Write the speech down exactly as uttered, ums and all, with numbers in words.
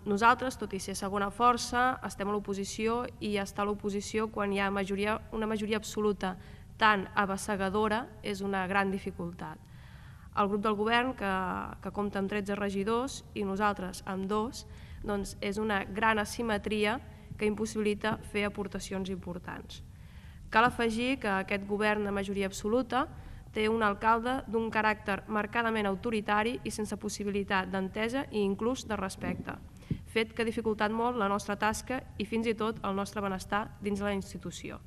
Nosaltres, tot i ser segona força, estem a l'oposició i estar a l'oposició quan hi ha majoria, una majoria absoluta tan abassegadora és una gran dificultat. El grup del govern, que, que compta amb tretze regidors i nosaltres amb dos, doncs és una gran asimetria que impossibilita fer aportacions importants. Cal afegir que aquest govern de majoria absoluta té un alcalde d'un caràcter marcadament autoritari i sense possibilitat d'entesa i inclús de respecte, fet que ha dificultat molt la nostra tasca i fins i tot el nostre benestar dins de la institució.